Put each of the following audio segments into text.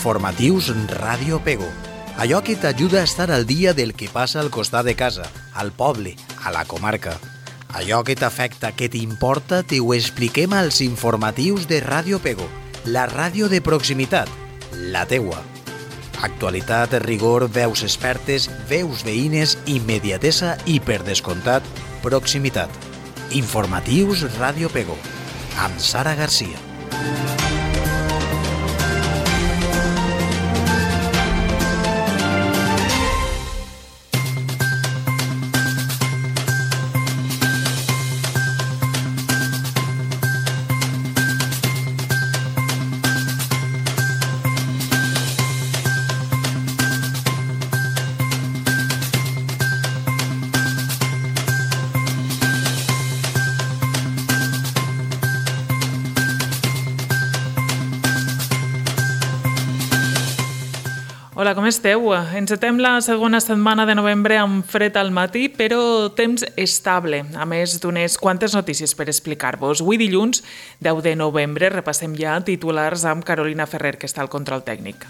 Informatius Ràdio Pego. Allò que t'ajuda a estar al dia del que passa al costat de casa, al poble, a la comarca. Allò que t'afecta, que t'importa, t'ho expliquem als informatius de Ràdio Pego, la ràdio de proximitat, la teua. Actualitat, rigor, veus expertes, veus veïnes, immediatesa i, per descomptat, proximitat. Informatius Ràdio Pego, amb Sara Garcia. Hola, com esteu? Encetem la segona setmana de novembre amb fred al matí, però temps estable, a més d'unes quantes notícies per explicar-vos. Avui dilluns, 10 de novembre, repassem ja titulars amb Carolina Ferrer, que està al control tècnic.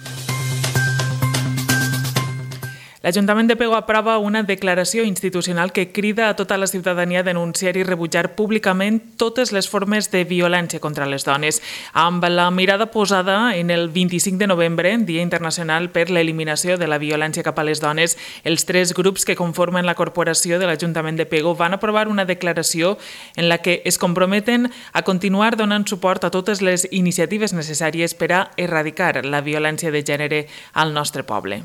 L'Ajuntament de Pego aprova una declaració institucional que crida a tota la ciutadania a denunciar i rebutjar públicament totes les formes de violència contra les dones, amb la mirada posada en el 25 de novembre, Dia Internacional per l'Eliminació de la Violència cap a les Dones. Els tres grups que conformen la corporació de l'Ajuntament de Pego van aprovar una declaració en la que es comprometen a continuar donant suport a totes les iniciatives necessàries per a erradicar la violència de gènere al nostre poble.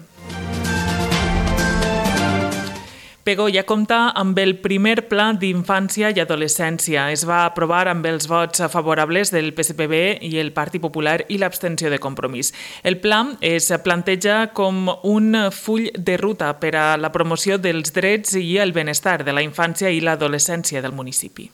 Pego ja compta amb el primer pla d'infància i adolescència. Es va aprovar amb els vots favorables del PSPB i el Partit Popular i l'abstenció de Compromís. El pla es planteja com un full de ruta per a la promoció dels drets i el benestar de la infància i l'adolescència del municipi.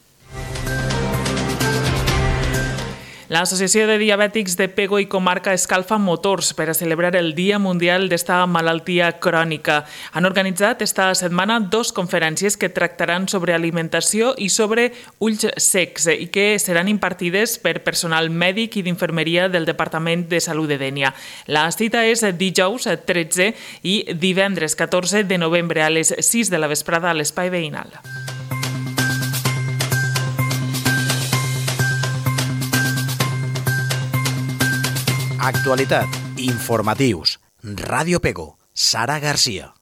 L'Associació de Diabètics de Pego i Comarca escalfa motors per a celebrar el Dia Mundial d'esta malaltia crònica. Han organitzat esta setmana 2 conferències que tractaran sobre alimentació i sobre ulls secs i que seran impartides per personal mèdic i d'infermeria del Departament de Salut de Dénia. La cita és dijous 13 i divendres 14 de novembre a les 6 de la vesprada a l'Espai Veïnal. Actualitat, informatius, Ràdio Pego, Sara Garcia.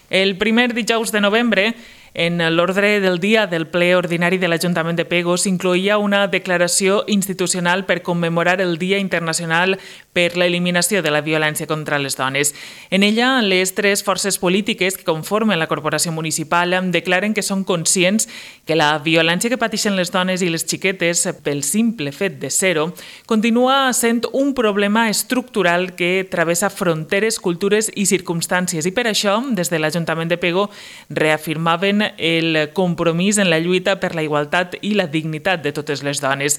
El primer dijous de novembre, en l'ordre del dia del ple ordinari de l'Ajuntament de Pego s'incloïa una declaració institucional per commemorar el Dia Internacional per l'Eliminació de la Violència contra les Dones. En ella, les 3 forces polítiques que conformen la corporació municipal declaren que són conscients que la violència que pateixen les dones i les xiquetes, pel simple fet de ser-ho, continua sent un problema estructural que travessa fronteres, cultures i circumstàncies. I per això, des de l'Ajuntament de Pego, reafirmaven el compromís en la lluita per la igualtat i la dignitat de totes les dones.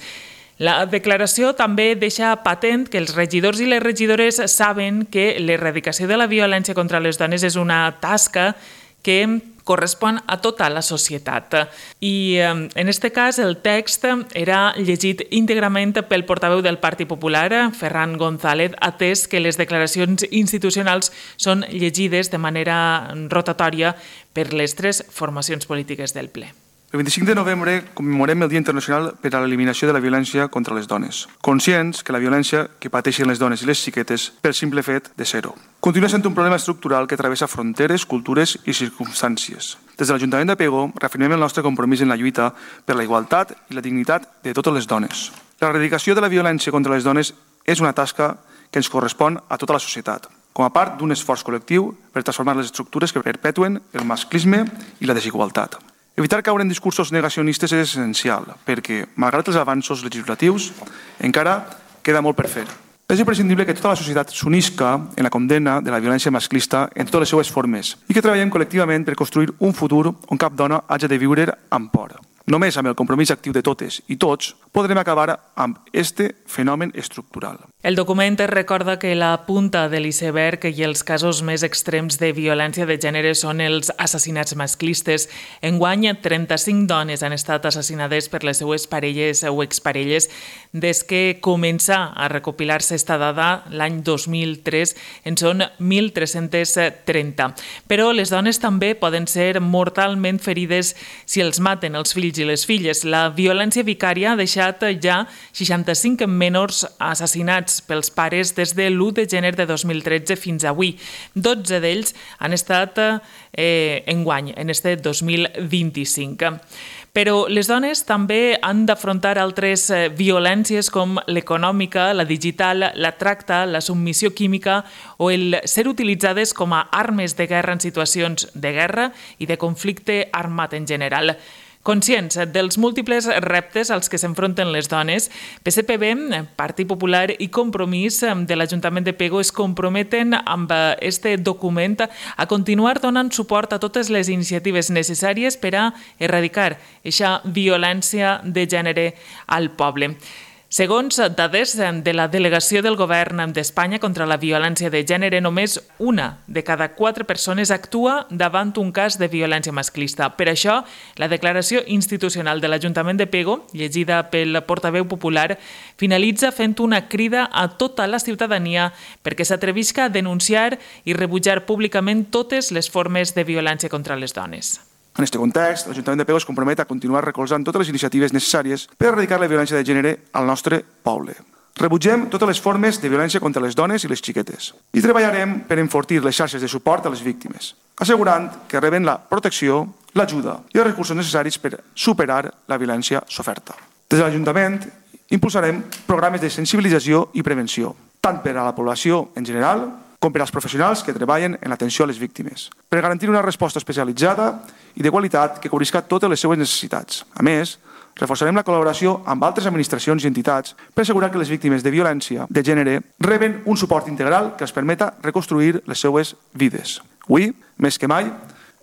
La declaració també deixa patent que els regidors i les regidores saben que l'erradicació de la violència contra les dones és una tasca que correspon a tota la societat. I en aquest cas el text era llegit íntegrament pel portaveu del Partit Popular, Ferran González, atès que les declaracions institucionals són llegides de manera rotatòria per les 3 formacions polítiques del ple. El 25 de novembre commemorem el Dia Internacional per a l'Eliminació de la Violència contra les Dones, conscients que la violència que pateixen les dones i les xiquetes pel simple fet de ser-ho continua sent un problema estructural que travessa fronteres, cultures i circumstàncies. Des de l'Ajuntament de Pego reafirmem el nostre compromís en la lluita per la igualtat i la dignitat de totes les dones. L'erradicació de la violència contra les dones és una tasca que ens correspon a tota la societat, com a part d'un esforç col·lectiu per transformar les estructures que perpetuen el masclisme i la desigualtat. Evitar caure en discursos negacionistes és essencial, perquè, malgrat els avanços legislatius, encara queda molt per fer. És imprescindible que tota la societat s'unisca en la condemna de la violència masclista en totes les seues formes i que treballem col·lectivament per construir un futur on cap dona hagi de viure amb por. Només amb el compromís actiu de totes i tots podrem acabar amb este fenomen estructural. El document recorda que la punta de l'iceberg i els casos més extrems de violència de gènere són els assassinats masclistes. Enguany, 35 dones han estat assassinades per les seues parelles o exparelles des que comença a recopilar-se esta dada l'any 2003, en són 1.330. Però les dones també poden ser mortalment ferides si els maten els fills i les filles. La violència vicària ha deixat ja 65 menors assassinats pels pares des de l'1 de gener de 2013 fins avui. 12 d'ells han estat enguany, en este 2025. Però les dones també han d'afrontar altres violències com l'econòmica, la digital, la tracta, la submissió química o el ser utilitzades com a armes de guerra en situacions de guerra i de conflicte armat en general. Conscients dels múltiples reptes als que s'enfronten les dones, PSPB, Partit Popular i Compromís de l'Ajuntament de Pego es comprometen amb este document a continuar donant suport a totes les iniciatives necessàries per a erradicar aquesta violència de gènere al poble. Segons dades de la Delegació del Govern d'Espanya contra la violència de gènere, només una de cada 4 persones actua davant un cas de violència masclista. Per això, la declaració institucional de l'Ajuntament de Pego, llegida pel portaveu popular, finalitza fent una crida a tota la ciutadania perquè s'atrevisca a denunciar i rebutjar públicament totes les formes de violència contra les dones. En aquest context, l'Ajuntament de Pego es compromet a continuar recolzant totes les iniciatives necessàries per erradicar la violència de gènere al nostre poble. Rebutgem totes les formes de violència contra les dones i les xiquetes i treballarem per enfortir les xarxes de suport a les víctimes, assegurant que reben la protecció, l'ajuda i els recursos necessaris per superar la violència soferta. Des de l'Ajuntament impulsarem programes de sensibilització i prevenció, tant per a la població en general com per als professionals que treballen en l'atenció a les víctimes, per garantir una resposta especialitzada i de qualitat que cobrisca totes les seues necessitats. A més, reforçarem la col·laboració amb altres administracions i entitats per assegurar que les víctimes de violència de gènere reben un suport integral que els permeta reconstruir les seues vides. Avui, més que mai,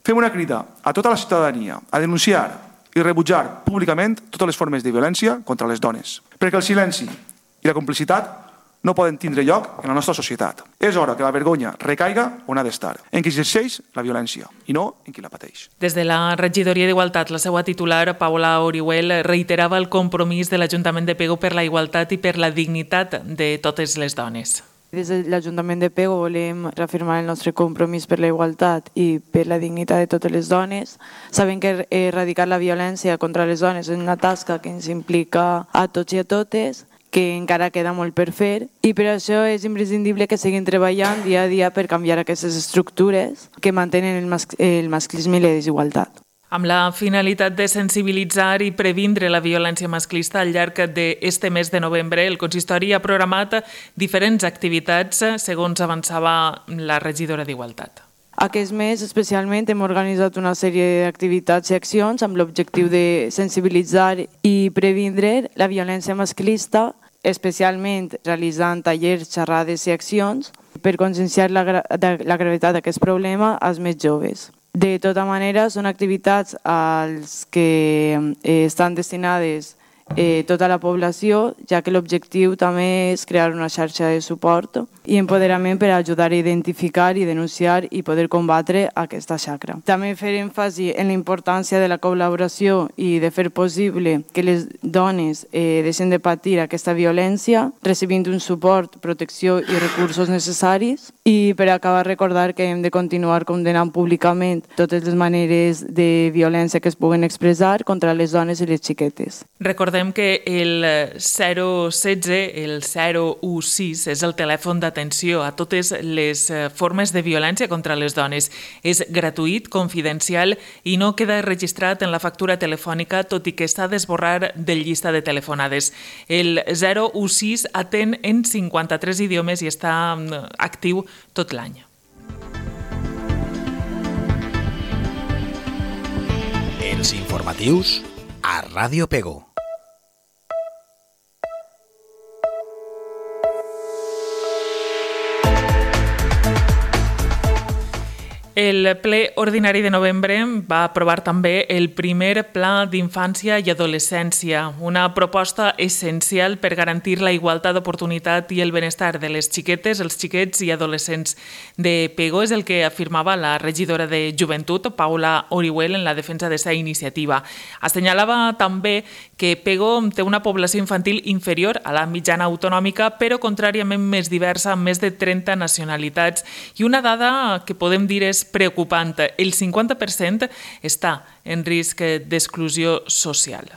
fem una crida a tota la ciutadania a denunciar i rebutjar públicament totes les formes de violència contra les dones, perquè el silenci i la complicitat no poden tindre lloc en la nostra societat. És hora que la vergonya recaiga on ha d'estar, en qui exerceix la violència i no en qui la pateix. Des de la regidoria d'Igualtat, la seva titular, Paula Orihuel, reiterava el compromís de l'Ajuntament de Pego per la igualtat i per la dignitat de totes les dones. Des de l'Ajuntament de Pego volem reafirmar el nostre compromís per la igualtat i per la dignitat de totes les dones. Sabem que erradicar la violència contra les dones és una tasca que ens implica a tots i a totes, que encara queda molt per fer i per això és imprescindible que seguim treballant dia a dia per canviar aquestes estructures que mantenen el masclisme i la desigualtat. Amb la finalitat de sensibilitzar i previndre la violència masclista al llarg d'este mes de novembre, el consistori ha programat diferents activitats, segons avançava la regidora d'Igualtat. Aquest mes especialment hem organitzat una sèrie d'activitats i accions amb l'objectiu de sensibilitzar i previndre la violència masclista, especialment realitzant tallers, xerrades i accions per conscienciar la gravetat d'aquest problema als més joves. De tota manera, són activitats als que estan destinades tota la població, ja que l'objectiu també és crear una xarxa de suport i empoderament per ajudar a identificar i denunciar i poder combatre aquesta xacra. També fer èmfasi en la importància de la col·laboració i de fer possible que les dones deixen de patir aquesta violència, recibint un suport, protecció i recursos necessaris. I per acabar, recordar que hem de continuar condenant públicament totes les maneres de violència que es puguen expressar contra les dones i les xiquetes. Recordem que el 016, el 016, és el telèfon d'atenció a totes les formes de violència contra les dones. És gratuït, confidencial i no queda registrat en la factura telefònica, tot i que s'ha d'esborrar del llista de telefonades. El 016 atén en 53 idiomes i està actiu tot l'any. Els informatius a Ràdio Pego. El ple ordinari de novembre va aprovar també el primer Pla d'Infància i Adolescència, una proposta essencial per garantir la igualtat d'oportunitat i el benestar de les xiquetes, els xiquets i adolescents de Pego. És el que afirmava la regidora de Joventut, Paula Orihuel, en la defensa d'esta iniciativa. Assenyalava també que Pego té una població infantil inferior a la mitjana autonòmica, però contràriament més diversa, amb més de 30 nacionalitats. I una dada que podem dir és preocupant. El 50% està en risc d'exclusió social.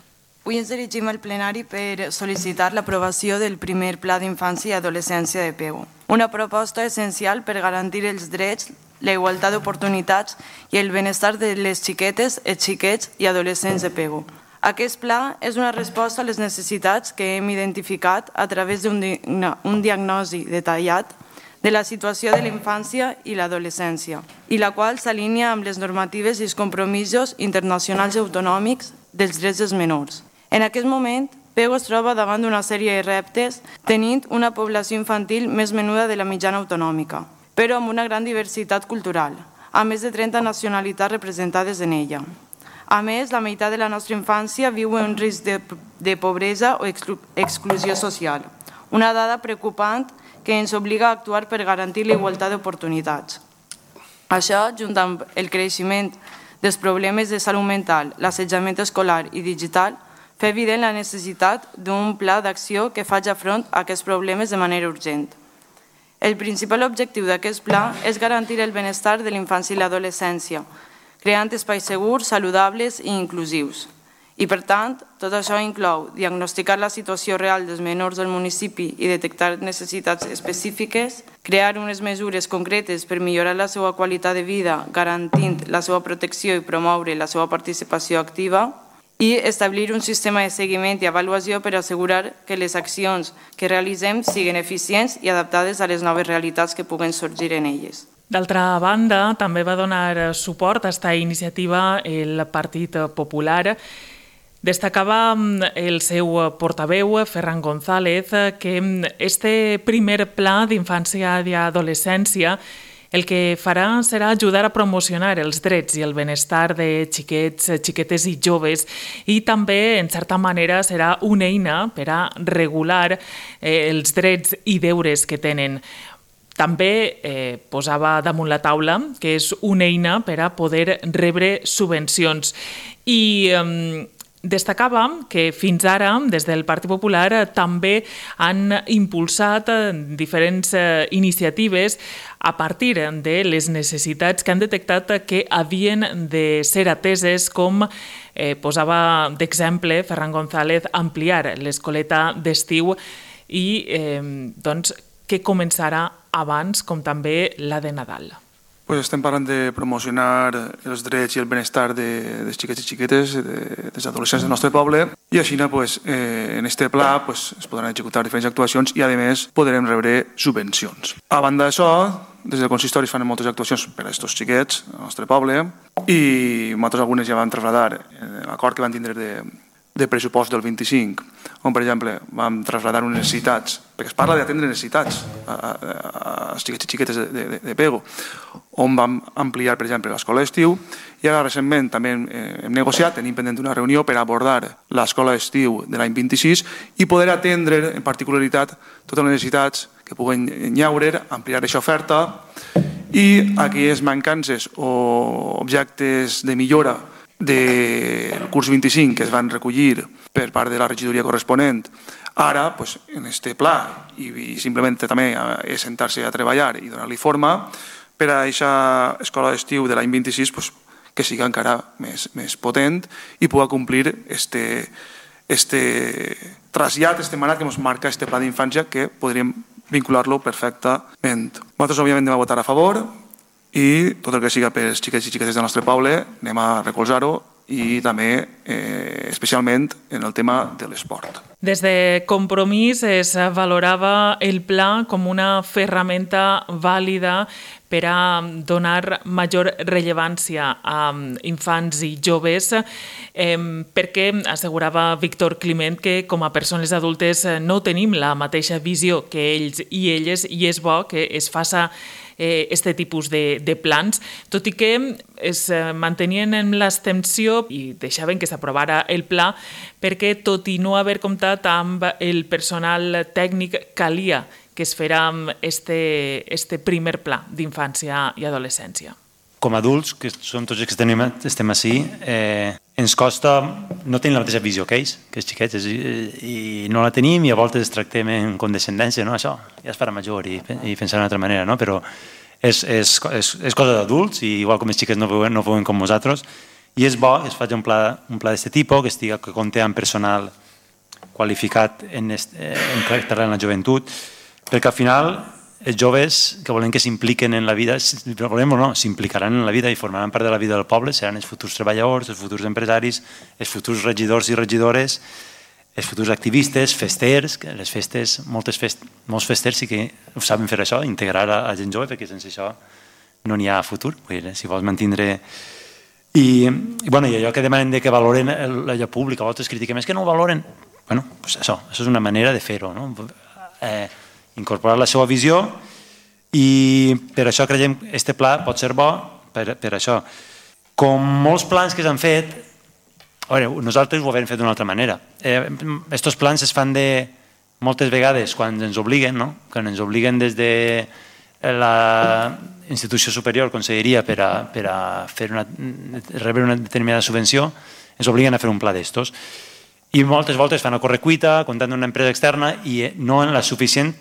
Avui ens dirigim al plenari per sol·licitar l'aprovació del primer Pla d'Infància i Adolescència de Pego. Una proposta essencial per garantir els drets, la igualtat d'oportunitats i el benestar de les xiquetes, els xiquets i adolescents de Pego. Aquest pla és una resposta a les necessitats que hem identificat a través d'un diagnòstic detallat de la situació de la infància i l'adolescència, i la qual s'alinea amb les normatives i els compromisos internacionals i autonòmics dels drets dels menors. En aquest moment, Pego es troba davant d'una sèrie de reptes, tenint una població infantil més menuda de la mitjana autonòmica, però amb una gran diversitat cultural, amb més de 30 nacionalitats representades en ella. A més, la meitat de la nostra infància viu en risc de pobresa o exclusió social, una dada preocupant que ens obliga a actuar per garantir la igualtat d'oportunitats. Això, junt amb el creixement dels problemes de salut mental, l'assetjament escolar i digital, fa evident la necessitat d'un pla d'acció que faci front a aquests problemes de manera urgent. El principal objectiu d'aquest pla és garantir el benestar de l'infància i l'adolescència, creant espais segurs, saludables i inclusius. I, per tant, tot això inclou diagnosticar la situació real dels menors del municipi i detectar necessitats específiques, crear unes mesures concretes per millorar la seva qualitat de vida, garantint la seva protecció i promoure la seva participació activa, i establir un sistema de seguiment i avaluació per assegurar que les accions que realitzem siguin eficients i adaptades a les noves realitats que puguen sorgir en elles. D'altra banda, també va donar suport a aquesta iniciativa el Partit Popular. Destacava el seu portaveu, Ferran González, que este primer pla d'infància i adolescència el que farà serà ajudar a promocionar els drets i el benestar de xiquets, xiquetes i joves, i també, en certa manera, serà una eina per a regular els drets i deures que tenen. També posava damunt la taula que és una eina per a poder rebre subvencions. I destacava que fins ara, des del Partit Popular, també han impulsat diferents iniciatives a partir de les necessitats que han detectat que havien de ser ateses, com posava d'exemple Ferran González, ampliar l'escoleta d'estiu i que començarà abans, com també la de Nadal. Estem parlant de promocionar els drets i el benestar dels xiquets i xiquetes, dels adolescents del nostre poble, i així en aquest pla es podran executar diferents actuacions i a més podrem rebre subvencions. A banda d'això, des del consistori es fan moltes actuacions per a aquests xiquets al nostre poble i nosaltres algunes ja vam traslladar l'acord que vam tindre de pressupost del 25, on, per exemple, vam traslladar unes necessitats, perquè es parla d'atendre necessitats als xiquets i xiquetes de Pego, on vam ampliar, per exemple, l'escola d'estiu, i ara recentment també hem negociat, tenim pendent una reunió per abordar l'escola d'estiu de l'any 26 i poder atendre, en particularitat, totes les necessitats que puguen llaure, ampliar aquesta oferta i aquelles mancances o objectes de millora del curs 25 que es van recollir per part de la regidoria corresponent, ara, en aquest pla, i simplement també és sentar-se a treballar i donar-li forma per a aquesta escola d'estiu de l'any 26 que sigui encara més potent i pugui complir este trasllat, este mandat que ens marca este pla d'infància, que podríem vincular-lo perfectament. Nosaltres, òbviament, anem a votar a favor i tot el que siga per als xiquets i xiquetes del nostre poble anem a recolzar-ho i també especialment en el tema de l'esport. Des de Compromís es valorava el pla com una ferramenta vàlida per a donar major rellevància a infants i joves, perquè assegurava Víctor Climent que com a persones adultes no tenim la mateixa visió que ells i elles i és bo que es faci este tipus de plans, tot i que es mantenien en l'extensió i deixaven que s'aprovara el pla perquè, tot i no haver comptat amb el personal tècnic, calia que es fera este primer pla d'infància i adolescència. Com a adults, que som tots els que estem així, ens costa no tenir la mateixa visió que ells, que els xiquets, i no la tenim i a voltes es tractem en condescendència, no? Això ja es farà major i pensar d'una altra manera, no? Però és cosa d'adults, i igual com els xiquets no veuen com nosaltres, i és bo que es faci un pla d'aquest tipus, que compti amb personal qualificat en tractar la joventut, perquè al final els joves que volem que s'impliquen en la vida, volem o no, s'implicaran en la vida i formaran part de la vida del poble, seran els futurs treballadors, els futurs empresaris, els futurs regidors i regidores, els futurs activistes, festers, que les festes, molts festers sí que ho saben fer això, integrar a gent jove, perquè sense això no n'hi ha futur, si vols mantindre... I allò que demanen que valoren allò públic, a voltes critiquem, és que no ho valoren. Bueno, això és una manera de fer-ho, no? Incorporar la seva visió, i per això creiem que aquest pla pot ser bo per això. Com molts plans que s'han fet, nosaltres ho hem fet d'una altra manera. Aquests plans es fan moltes vegades quan ens obliguen, quan ens obliguen des de la institució superior, conselleria, per a rebre una determinada subvenció, ens obliguen a fer un pla d'estos. I moltes voltes fan a correcuita, comptant d'una empresa externa, i no en la suficient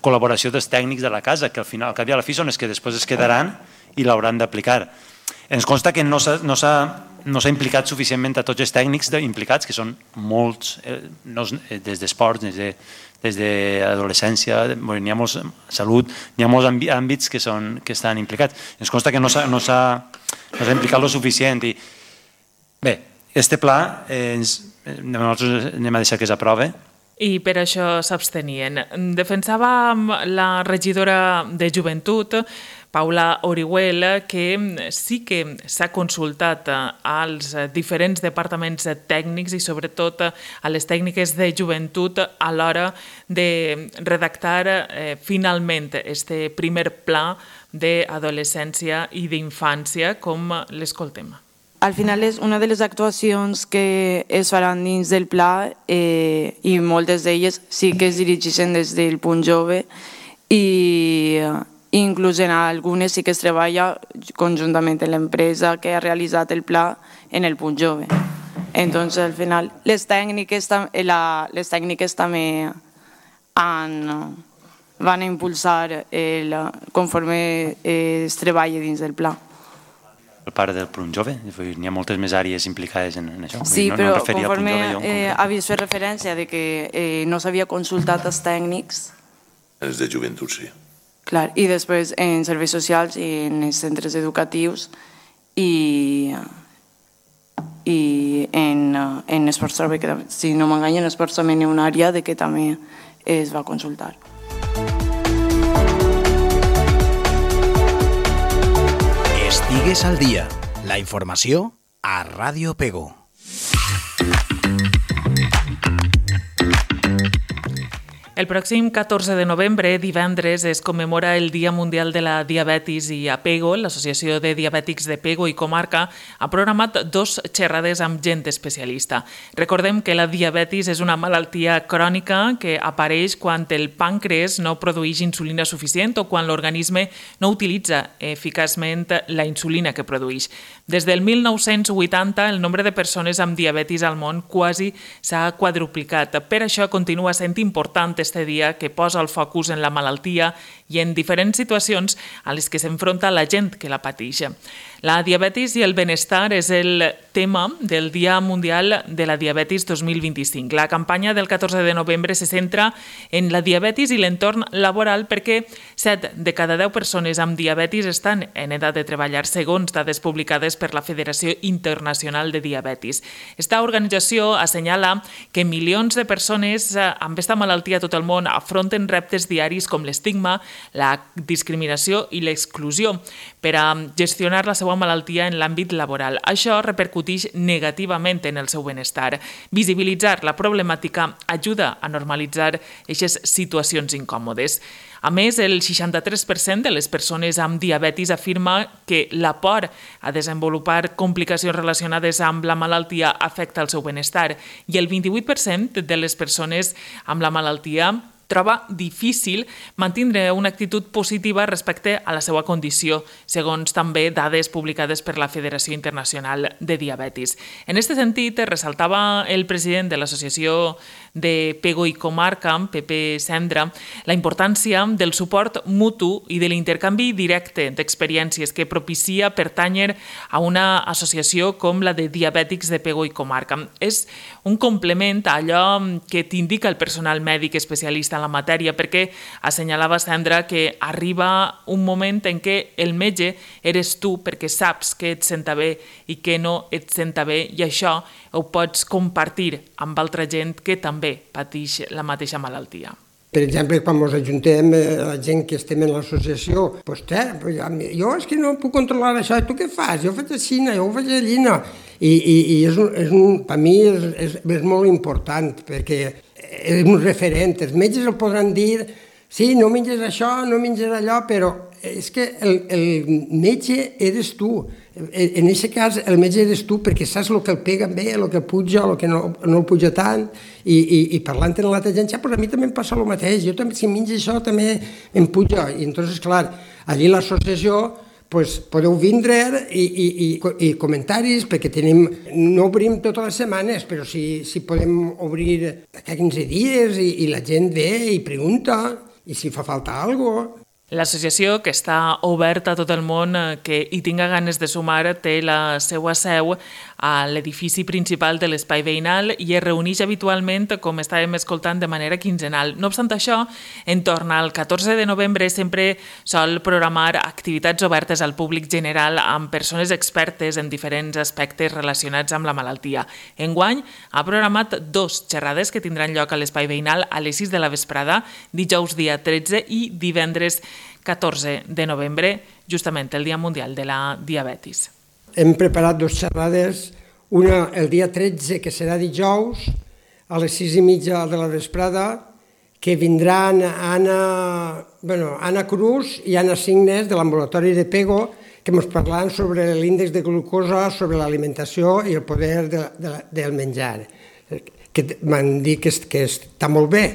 col·laboració dels tècnics de la casa, que al final, al cap i a la fi, són els que després es quedaran i l'hauran d'aplicar. Ens consta que no s'ha implicat suficientment a tots els tècnics implicats, que són molts, des d'esports, des d'adolescència, n'hi ha molts salut, n'hi ha molts àmbits que estan implicats. Ens consta que no s'ha implicat el suficient. Bé, aquest pla nosaltres anem a deixar que s'aprove. I per això s'abstenien. Defensava la regidora de Joventut, Paula Orihuel, que sí que s'ha consultat als diferents departaments tècnics i sobretot a les tècniques de joventut a l'hora de redactar finalment este primer pla d'adolescència i d'infància, com l'escoltem. Al final és una de les actuacions que es faran dins del pla, i moltes d'elles sí que es dirigeixen des del punt jove, i inclús en algunes sí que es treballa conjuntament amb l'empresa que ha realitzat el pla en el punt jove. Entonces, al final, les tècniques també van a impulsar conforme es treballa dins del pla. El part del punt jove, n'hi ha moltes més àrees implicades en això. Sí, però conforme havies fet referència de que no s'havia consultat els tècnics... Els de joventut, sí. Clar, i després en serveis socials i en els centres educatius i en esports també, que si no m'enganyo, en esports també hi ha una àrea que també es va consultar. Estigues al dia. La informació a Ràdio Pego. El pròxim 14 de novembre, divendres, es commemora el Dia Mundial de la Diabetis i a Pego, l'Associació de Diabètics de Pego i Comarca, ha programat 2 xerrades amb gent especialista. Recordem que la diabetis és una malaltia crònica que apareix quan el pàncreas no produeix insulina suficient o quan l'organisme no utilitza eficaçment la insulina que produeix. Des del 1980, el nombre de persones amb diabetis al món quasi s'ha quadruplicat. Per això continua sent important este dia, que posa el focus en la malaltia i en diferents situacions a les que s'enfronta la gent que la pateix. La diabetis i el benestar és el tema del Dia Mundial de la Diabetis 2025. La campanya del 14 de novembre se centra en la diabetis i l'entorn laboral perquè 7 de cada 10 persones amb diabetis estan en edat de treballar, segons dades publicades per la Federació Internacional de Diabetis. Esta organització assenyala que milions de persones amb aquesta malaltia a tot el món afronten reptes diaris com l'estigma, la discriminació i l'exclusió per a gestionar la seva malaltia en l'àmbit laboral. Això repercuteix negativament en el seu benestar. Visibilitzar la problemàtica ajuda a normalitzar aquestes situacions incòmodes. A més, el 63% de les persones amb diabetis afirma que la por a desenvolupar complicacions relacionades amb la malaltia afecta el seu benestar i el 28% de les persones amb la malaltia troba difícil mantenir una actitud positiva respecte a la seva condició, segons també dades publicades per la Federació Internacional de Diabetis. En aquest sentit, ressaltava el president de l'Associació de Pego i Comarca, Pepe Sendra, la importància del suport mutu i de l'intercanvi directe d'experiències que propicia pertànyer a una associació com la de diabètics de Pego i Comarca. És un complement a allò que t'indica el personal mèdic especialista en la matèria, perquè assenyalava Sendra que arriba un moment en què el metge eres tu perquè saps que et senta bé i que no et senta bé i això ho pots compartir amb altra gent que també pateix la mateixa malaltia. Per exemple, quan ens ajuntem la gent que estem en l'associació, jo és que no puc controlar això, tu què fas? Jo faig així, jo ho faig allà. I per mi és molt important, perquè és un referent. Els metges el podran dir, sí, no menges això, no menges allò, però és que el metge eres tu. En aquest cas, el metge eres tu perquè saps el que el pega bé, el que puja, el que no el puja tant, i parlant amb l'altra gent, a mi també em passa el mateix, jo també, si menjo això també em puja. I llavors, clar, allí l'associació podeu vindre i comentaris, perquè no obrim totes les setmanes, però si podem obrir cada 15 dies i la gent ve i pregunta, i si fa falta alguna cosa. L'associació, que està oberta a tot el món que hi tinga ganes de sumar, té la seva seu a l'edifici principal de l'espai veïnal i es reuneix habitualment, com estàvem escoltant, de manera quinzenal. No obstant això, en torn al 14 de novembre sempre sol programar activitats obertes al públic general amb persones expertes en diferents aspectes relacionats amb la malaltia. Enguany ha programat 2 xerrades que tindran lloc a l'espai veïnal a les 6 de la vesprada, dijous dia 13 i divendres 14 de novembre, justament el Dia Mundial de la Diabetis. Hem preparat 2 xerrades, una el dia 13, que serà dijous, a les 6:30 de la vesprada, que vindran Anna Cruz i Anna Signes de l'ambulatori de Pego, que ens parlaran sobre l'índex de glucosa, sobre l'alimentació i el poder del menjar, que m'han dit que està molt bé.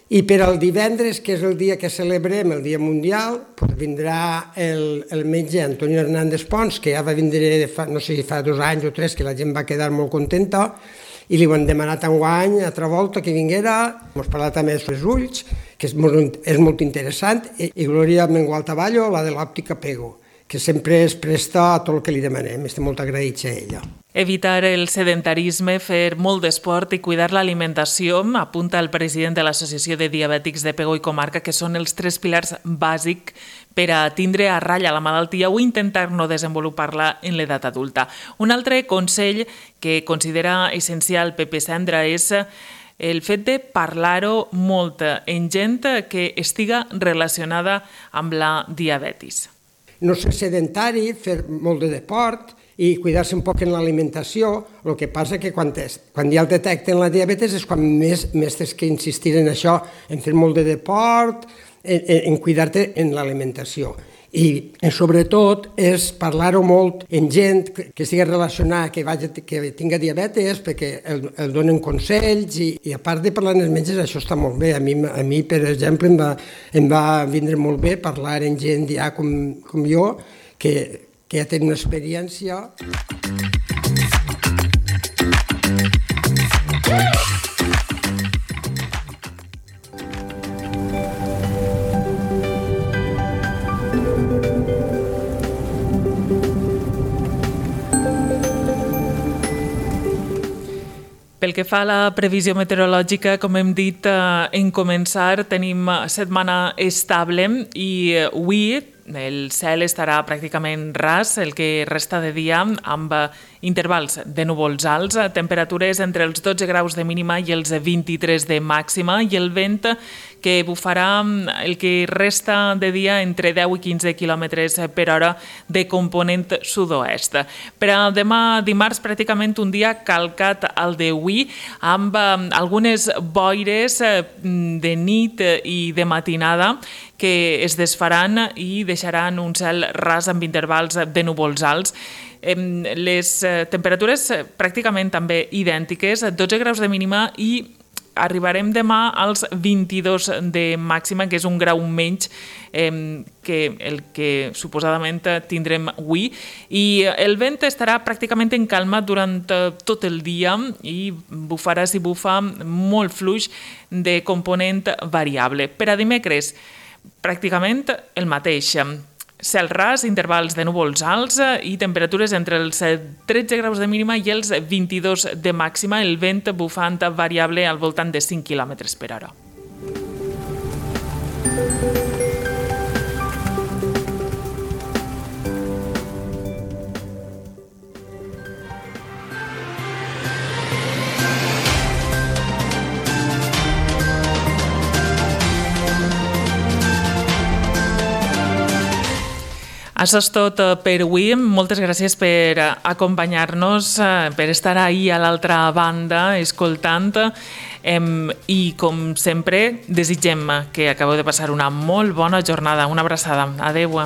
I per al divendres, que és el dia que celebrem, el Dia Mundial, vindrà el metge Antonio Hernández Pons, que ja va vindre, no sé si fa 2 anys o 3, que la gent va quedar molt contenta, i li ho han demanat enguany, altra volta, que vinguera. Hem parlat també sobre els ulls, que és molt interessant, i Glòria Mengual-Taballo, la de l'òptica Pego, que sempre es presta a tot el que li demanem. Estem molt agraïts a ella. Evitar el sedentarisme, fer molt d'esport i cuidar l'alimentació, apunta el president de l'Associació de Diabètics de Pego i Comarca, que són els 3 pilars bàsics per a tindre a ratlla la malaltia o intentar no desenvolupar-la en l'edat adulta. Un altre consell que considera essencial Pepe Sendra és el fet de parlar-ho molt en gent que estiga relacionada amb la diabetis. No ser sedentari, fer molt de deport i cuidar-se un poc en l'alimentació. El que passa que quan ja el detecten la diabetes és quan més tens que insistir en això, en fer molt de deport, en cuidar-te en l'alimentació. I sobretot és parlar-ho molt en gent que estigui relacionada, que tinga diabetes, perquè el donen consells i a part de parlar amb els metges, això està molt bé. A mi per exemple, em va vindre molt bé parlar amb gent ja com jo, que ja tenen una experiència. Pel que fa a la previsió meteorològica, com hem dit en començar, tenim setmana estable i avui el cel estarà pràcticament ras el que resta de dia amb intervals de núvols alts, temperatures entre els 12 graus de mínima i els 23 de màxima i el vent que bufarà el que resta de dia entre 10 i 15 km per hora de component sud-oest. Per a demà dimarts, pràcticament un dia calcat al d'avui, amb algunes boires de nit i de matinada que es desfaran i deixaran un cel ras amb intervals de núvols alts. Les temperatures pràcticament també idèntiques, 12 graus de mínima i arribarem demà als 22 de màxima, que és un grau menys que el que suposadament tindrem avui. I el vent estarà pràcticament en calma durant tot el dia i bufarà, si bufa, molt fluix de component variable. Per a dimecres, pràcticament el mateix. Cel ras, intervals de núvols alts i temperatures entre els 13 graus de mínima i els 22 de màxima, el vent bufant variable al voltant de 5 km per hora. Això és tot per avui. Moltes gràcies per acompanyar-nos, per estar ahí a l'altra banda escoltant i, com sempre, desitgem que acabeu de passar una molt bona jornada. Una abraçada. Adéu.